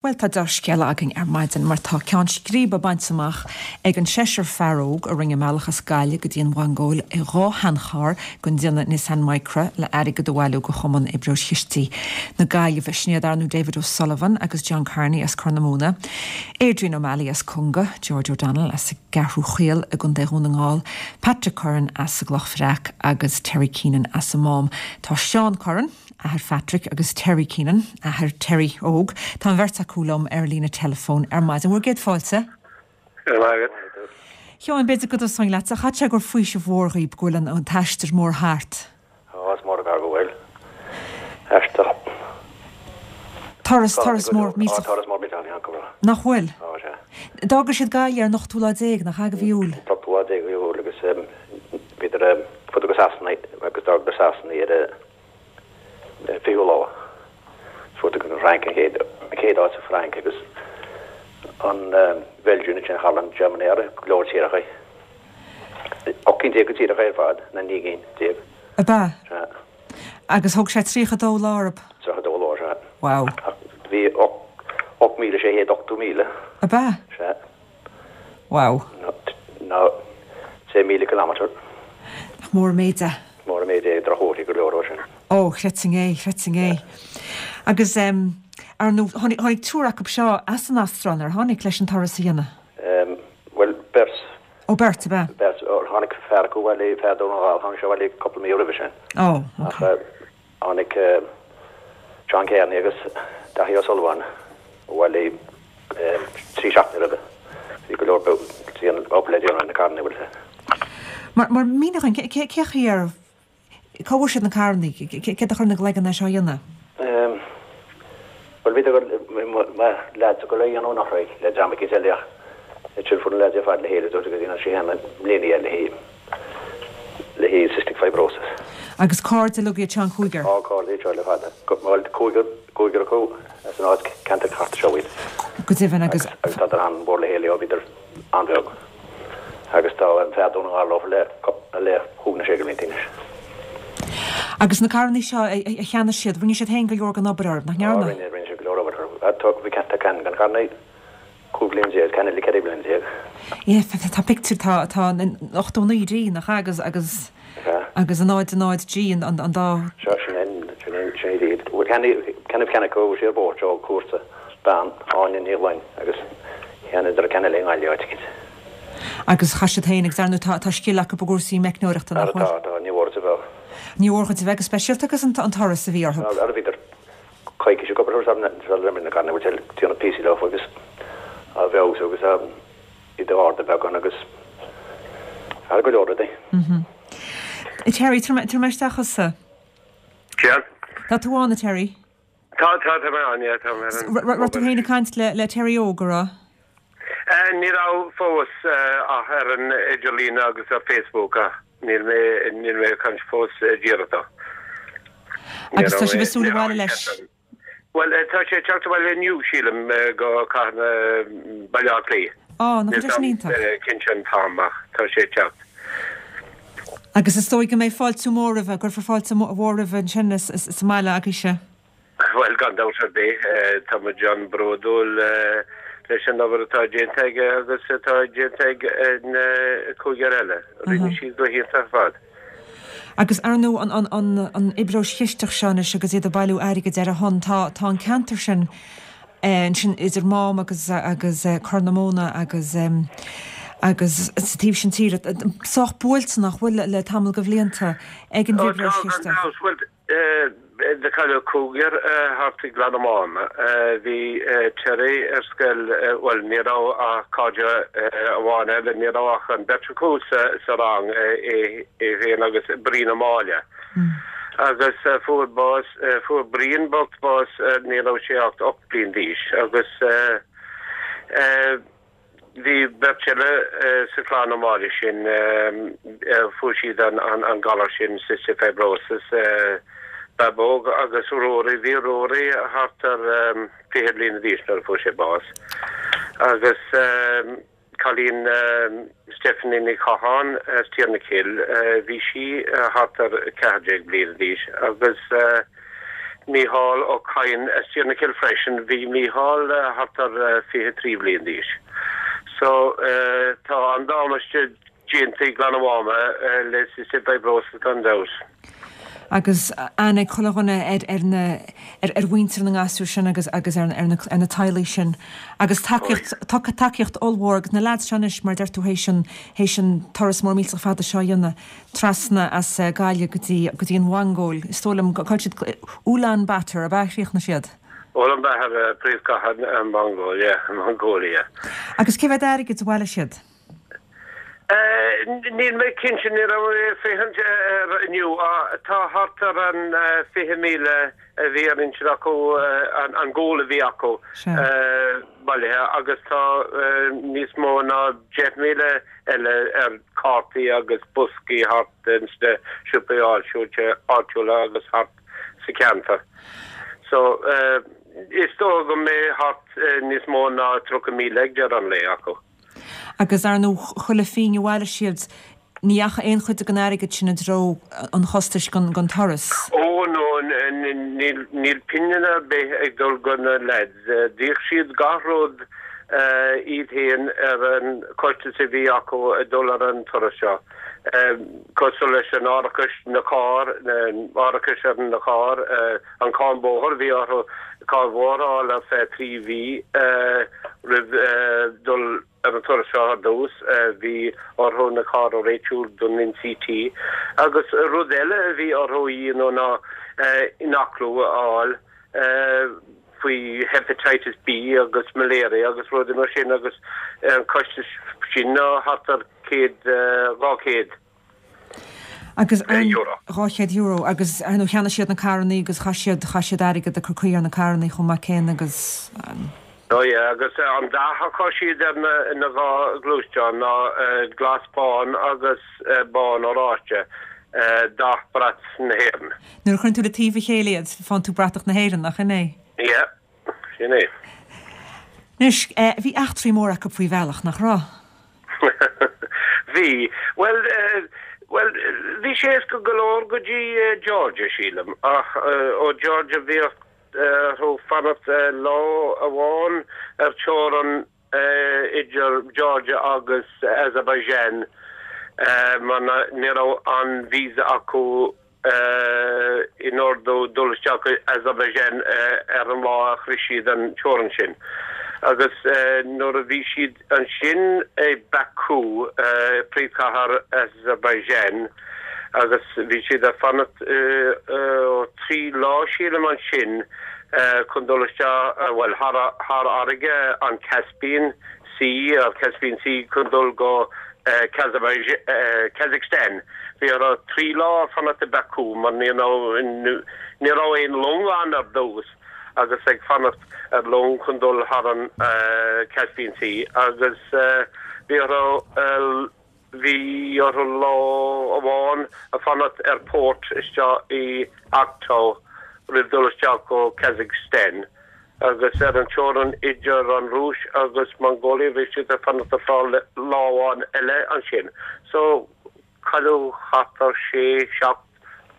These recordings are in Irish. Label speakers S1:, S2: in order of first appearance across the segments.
S1: Bhuel, tá dea-scéala againn ar maidin mar tá ceann scríbe bainte amach ag an seisear fear óg a rinne a mbealach as Gaillimh go dtí an Mhongóil i dha sheancharr den déanamh Nissan Micra le airgead a bhailiú do Chumann Fhibróis Chistigh na Gaillimhe. Sin iad, ar ndóigh, David O'Sullivan agus John Kearney as Corr na Móna, Adrian O'Malley as Cunga, George O'Donnell as an gCeathrú Chaol i gContae Dhún na nGall, Patrick Curran as an gCloch Bhreac agus Terry Keenan as an Mám. Tá Seán Curran. athair Phatrick agus Terry Keenan, athair Terry óg. Tá an bheirt acu liom ar an líne teileafóin ar maidin. Bhur gcéad fáilte.
S2: Go raibh maith agat.
S1: Sheáin, b'fhéidir go dtosóinn leatsa. Chaithfeadh sé gur faoiseamh mhór dhaoib go bhfuil an t-aistear mór thart.
S2: Á, is mór an gar go bhfuil. Aistear.
S1: Turas, turas mór
S2: millteach. Á, turas mór millteach a bhí ann, go raibh.
S1: Nach bhfuil?
S2: Á, sea.
S1: D'fhága siad Gaillimh ar an ochtú lá déag, nach ea, de mhí Iúil?
S2: An t-ochtú lá déag de mhí Iúil agus bhíodar, fuaireadar go Sasana agus d'fhágadar Sasana ar an fichiú lá. Fuaireadar go Frainc an chéad, an chéad áit sa Frainc agus an Bheilgium ansin thall an Germany ar go leor tíortha. 18 cinn de tíortha ar fad, nó 19 gcinn.
S1: Ab ea?
S2: Sea.
S1: Agus thóg sé 32 lá orthu?
S2: 32 lá, sea.
S1: Wow.
S2: Ach bhí 8,680 míle.
S1: Ab ea?
S2: Sea.
S1: Wow.
S2: Nó 6,000 kilometre.
S1: Nach mór an méid é.
S2: Mór an méid é, drochthuarthaí go leor ó sin.
S1: Ó, chreidfinn é, chreidfinn é. Agus, ar ndóigh, tháinig, tháinig triúr acu seo as an Astráil, nár tháinig, leis an turas a dhéanamh?
S2: Bhuel, beirt.
S1: Ó, beirt, ab ea?
S2: Beirt. Tháinig fear acu abhaile, fear Dhún na nGall, tháinig sé abhaile cúpla mí roimhe sin.
S1: Ó, ok.
S2: Ach tháinig John Kearney agus Daithí O'Sullivan abhaile 3 seachtaine roimhe. Bhí go leor obair le déanamh ar na carranna, bhfuil a fhios
S1: agat. Mar, mar mínigh dhúinn, cé, cé chaoi ar, cá bhfuair siad na carranna, céard a chuir ina gcloigeann é seo a dhéanamh?
S2: Bhuel, bhíodar ag dul, mo leaids ag dul é a dhéanamh anuraidh le dream eicínt eile ach ansin fuair na leaids ar fad le chéile dúirt go ndéanfadh sé féin i mbliana é le haghaidh, le haghaidh cystic fibrosis.
S1: Agus cairde uilig iad seo an cúigear?
S2: Á, cairde iad seo le fada. Bhuel, cúigear, cúigear acu as an áit, ceantar thart seo iad.
S1: Go deimhin, agus.
S2: Agus tádar an-mhór le chéile ó bhíodar an-bheag. Agus tá an fear Dún na nGall leofa le, le chúig nó sé de bhlianta anois.
S1: Agus na carrannaí seo a cheannaigh siad, rinne siad féin go leor den obair orthu, nach ndearna?
S2: Á, rinne, rinne siad go leor obair orthu. Tá, bhí, tá ceann den charrannaí 15 bliain, ceann eile 14 bliain.
S1: Yeah, tá pictiúr, tá, tá an 89 D, nach ea, agus, agus, agus an 0 0 G, an, an dá.
S2: Seo, sin é, sin é, sin é iad. Bhuel, ceann, ceann, ceann acu, bhí sé ar bord ó cúrsa, bean, Áine Ní Ghloinn, agus cheannaíodar ceann eile i nGaillimh áit eicínt.
S1: Agus chaith siad féin, agus ar ndóigh tá, tá scil acu i gcúrsaí meicneoireachta, nach bhfuil?
S2: Tá, tá, ní mhór duit a bheith.
S1: Ní mhór dhuit a bheith, go speisialta agus an, an turas a bhí orthu.
S2: Ara bhíodar coicís ag obair ar na carranna, bhfuil sé ag déanamh píosaí leo agus á bhfeabhsú agus á iad a ardú beagán agus thar go leor rudaí.
S1: Terry, tabhair mé isteach thusa.
S3: Sea.
S1: Tá tú ann, a Terry?
S3: Tá, tá, tá mé ann, yeah, tá mé ar an.
S1: Raibh tú féin ag caint le Terry Óg, an raibh?
S3: Ní raibh fós ach ar an idirlíon agus ar Facebook ach níl mé, níl mé ag caint fós díreach dó.
S1: Agus tá sibh ag súil abhaile leis?
S3: Bhuel, tá sé ag teacht abhaile inniu, sílim, go cathair na, Baile Átha Cliath.
S1: Á, nach bhfuil sé sin iontach?
S3: Níl mé cinnte an t-am ach tá sé ag teacht.
S1: Agus is dóigh go mbeidh fáiltiú mór roimhe, go gcuirfear fáilte mhór roimhe ansin sa mbaile agaibhse.
S3: Bhuel, gan dabht ar bith, tá muid an-bhródúil leis an obair atá déanta aige agus atá déanta ag an cúigear eile. Rinne siad go hiontach ar fad.
S1: Agus ar ndóigh, an fhibróis chisteach seo anois agus iad ag bailiú airgid ar a shon, tá an ceantar sin ansin idir Mám agus agus Corr na Móna agus agus sa taobh sin tíre sách buailte nach bhfuil le tamall de bhlianta ag an bhfibróis chisteach.
S3: Do cailleadh cúigear thart i gClann na Máma. Bhí Terry ar scoil, bhuel, ní raibh ach cairde amháin eile, ní raibh ach an bheirt acu sa rang, é féin agus Brian Ó Máille. Agus fuair bás, fuair Brian bocht bás, ní raibh sé ach 8 bliain d'aois agus Bhí beirt eile sa chlann Ó Máille sin, fuair siad an galar sin, cystic fibrosis, Babóg agus Rory. Bhí Rory thart ar 20 bliana d'aois nuair a fuair sé bás. Agus cailín Stephanie Ní Chatháin as Tír na Cille, bhí sí thart ar 14 bliana d'aois agus. Mícheál Ó Cadhain as Tír na Cille freisin, bhí Mícheál thart ar 23 bhliain d'aois. So tá an damáiste déanta i nGleann an Mháma le cystic fibrosis gan dabht.
S1: Agus aithne ag chuile dhuine ar ar na ar ar mhuintir na ngasúr sin agus agus ar ar na ar na teaghlaigh sin. Agus tacaíocht tacaíocht ollmhór agus na leaids seo anois mar a deir tú théis an théis an turas mór millteach fada seo a dhéanamh trasna as Gaillimh go dtí go dtí an Mhongóil. Is dóigh liom cá bhfuil siad Ulan Bator ab ea a chríochnaigh siad?
S3: Ulan Bator príomhchathair na Mongóile Mongolia.
S1: Agus cé mhéad airgid a bhailigh siad?
S3: Níl mé cinnte, ní raibh mé ag féachaint air inniu. Tá thart ar an 20,000 a bhí ar intinn acu, an goal a bhí acu bailithe agus tá níos mó ná 10,000 eile ar cártaí agus boscaí thart ins na siopaí áitiúla agus thart sa cheantar. So is dócha go mbeidh thart níos mó ná 30,000 ag deireadh an lae acu.
S1: Agus ar ndóigh, chuile phingin a bhailigh siad, ní dheachaigh aon chuid den airgead sin i dtreo an chostais den turas.
S3: Ó no, níl pingin ar bith ag dul go na lads. D'íoc siad gach rud iad féin ar an costas a bhí acu ag dul ar an turas seo. Cosúil leis an árachas na carr, árachas ar na carr, an cáin bóthair, bhí orthu cáin bhóthair a fháil ar feadh 3 mhí roimh dul ar an turas seo ar dtús. Bhí orthu na carr a réitiú don NCT. Agus rud eile a bhí orthu a dhéanamh ná ionaclú a fháil faoi Hepatitis B agus Malaria agus rudaí mar sin agus an costas sin ná thart ar 100, 200.
S1: Agus an €200 agus ar ndóigh cheannaigh siad na carrannaí agus chaith siad, chaith siad airgead ag cur caoi ar na carrannaí chomh maith céanna agus.
S3: Oh yeah agus an dath a chuir siad ar na, na dhá ghluaisteán ná glas bán agus bán oráiste, dath brat na hÉireann.
S1: Nuair a chuireann tú le taobh a chéile iad, faigheann tú bratach na hÉireann, nach in é?
S3: Yeah, sin é.
S1: Anois, bhí eachtraí móra acu faoi bhealach, nach raibh?
S3: Bhí. Bhuel, bhuel, bhí sé éasca go leor go dtí Georgia, sílim, ach ó Georgia bhíodh orthu fanacht lá amháin ar teorainn idir Georgia agus Azerbaijan mar ní raibh an visa acu in ordú dul isteach go Azerbaijan ar an lá a shroich siad an teorainn sin. Agus nuair a bhí siad ansin i Baku, príomhchathair Azerbaijan, agus bhí siad ag fanacht 3 lá sílim ansin chun dul isteach, bhuel, thar fharraige an Caspian Sea, or Caspian Sea, chun dul go Kazakhstan. Bhí orthu 3 lá fanacht i Baku mar ní raibh ní raibh aon long ann ar dtús agus ag fanacht ar long chun dul thar an Caspian Sea agus bhí orthu bhí orthu lá amháin a fanacht ar port isteach i Aktau roimh dul isteach go Kazakhstan. Agus ar an teorainn idir an Rúis agus Mongolia bhí siad ag fanacht ar feadh lá amháin eile ansin. So cailleadh thart ar sé, seacht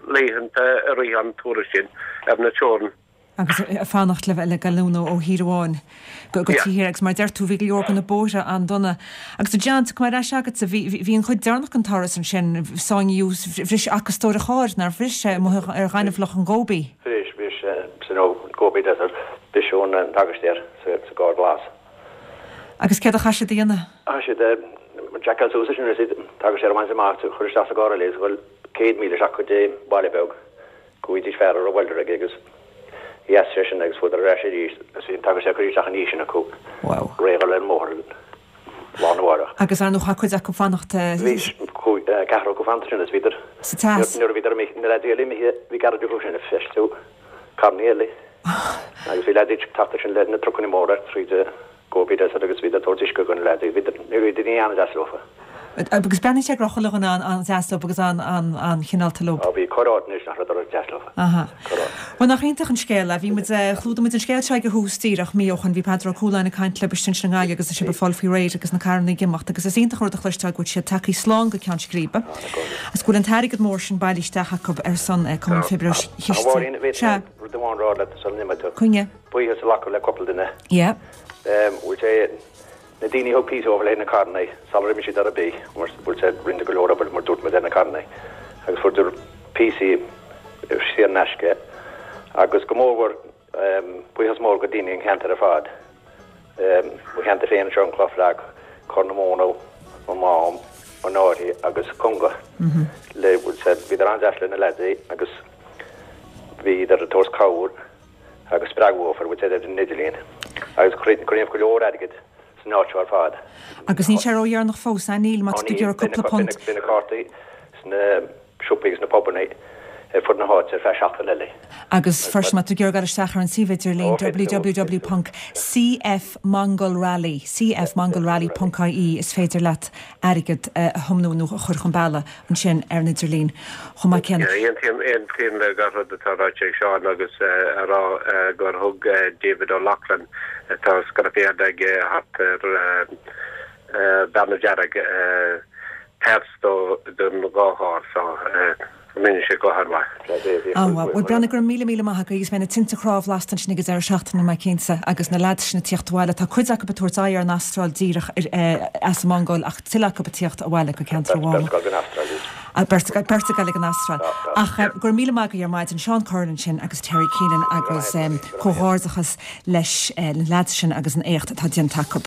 S3: laethanta i rith an turas sin ar na teorann.
S1: Agus ag fanacht le le gallúnú ó thír amháin go go tír agus mar a deir tú bhí go leor de na bóithre an-dona. Agus a John, tiocfaidh mé ar ais agatsa, bhí bhí an chuid deireanach den turas ansin, sáinníodh, bhris acastóir an chairr, nár bhris sé amuigh ar ghaineamhlach an Ghóibí?
S2: Bhris, bhris, san Gobi Desert, briseadh an t-acastóir sa gcarr glas.
S1: Agus céard a chaith siad a dhéanamh?
S2: Chaith siad jackáil suas ansin agus an t-acastóir a bhaint amach agus a chur isteach sa gcarr eile agus a dhul 100 míle isteach go dtí baile beag go bhfaighidís fear a raibh welder aige agus dheas sé sin agus chuadar ar ais arís agus bhí an t-acastóir curtha isteach ina dhiaidh sin acu réidh a dhul ar an mbóthar lá arna mhárach.
S1: Agus ar ndóigh chaith cuid acu fanacht.
S2: Bhí ceathrar acu fanacht ansin agus bhíodar.
S1: Sa teas.
S2: Nuair a bhíodar imithe, na leaids eile imithe, bhí garage acu sin ag feistiú carrannaí eile. Agus bhí leaids ag teacht ansin le na trucannaí móra tríd an Gobi Desert agus bhíodar ag tabhairt uisce do na leaids. Bhíodar, ní raibh daoine an-deas leofa.
S1: Agus breathnaíonn sé go raibh chuile dhuine an-deas leo agus an-chineálta leo.
S2: Á bhí corr áit anois nach rabhadar deas leo.
S1: Aha. Bhuel nach iontach an scéal é. Bhí muid, chlúdaigh muid an scéal seo ag a thús díreach mí ó shoin. Bhí Peadar Ó Cualáin ag caint libh istigh ansin i nGaillimh agus sibh ag fáil faoi réir agus na carranna ag imeacht agus is iontach an rud a chloisteáil go bhfuil siad tagthaí slán go Ceann Scríbe agus go bhfuil an t-airgead mór sin bailithe isteach acu ar son Cumann Fibróis
S2: A Mháirín,
S1: Chistigh. Sea.
S2: Rud amháin a rá leat sula n-imeoidh tú.
S1: Coinne.
S2: Buíochas a ghlacadh le cúpla duine.
S1: Yeah.
S2: Bhfuil sé, na daoine a thug píosa dóibh le haghaidh na carranna sular imigh siad ar bith, mar bhfuil sé, rinneadar go leor obair mar dúirt muid ar na carranna agus fuaireadar píosaí saor in aisce agus go mórmhór buíochas mór go daoine an cheantair ar fad. Mo cheantar féin anseo, an Cloch Bhreac, Corr na Móna, an Mám, an Fhairche agus Conga. Le, bhfuil sé, bhíodar an-deas le na leaids agus bhíodar ag tabhairt cabhair agus spreagadh dhófa ar bhfuil sé ar an idirlíon agus cruinníodh go leor airgid san áit seo ar fad.
S1: Agus níl sé ródheireanach fós, a Neil, má tá tú ag iarraidh cúpla punt.
S2: Beidh na cártaí sna siopaí agus sna pubanna ar fud na háite ar feadh seachtain eile.
S1: Agus freisin má tá tú ag iarraidh dul isteach ar an suíomh idirlín www.cfmongolrally, cfmongolrally.ie is féidir leat airgead a thiomnú nó a chur chun bealaigh ansin ar an idirlíon chomh maith céanna.
S3: Aontaím le gach rud atá ráite ag Seán agus a rá gur thug David O'Loughlin, atá scrapyard aige thart ar Bearna Dearg, páirt don dhá charr so rinne sé go han-mhaith.
S1: An-mhaith. Bhuel, Breandán, go raibh míle míle maith agat agus beidh na tinte cnámh lasta ansin ag an deireadh seachtaine, mé cinnte, agus na leaids sin ag tíocht abhaile. Tá cuid acu ag tabhairt aghaidh ar an Astráil díreach as an Mhongóil ach tuilleadh acu ag tíocht abhaile go ceantar an Mháma.
S2: Beirt ag dul go an Astráil iad.
S1: Beirt ag dul ag an Astráil. Ach go raibh míle maith agaibh ar maidin, Seán Curran ansin agus Terry Keenan agus comhghairdeachas leis na leaids sin agus an éacht atá déanta acu.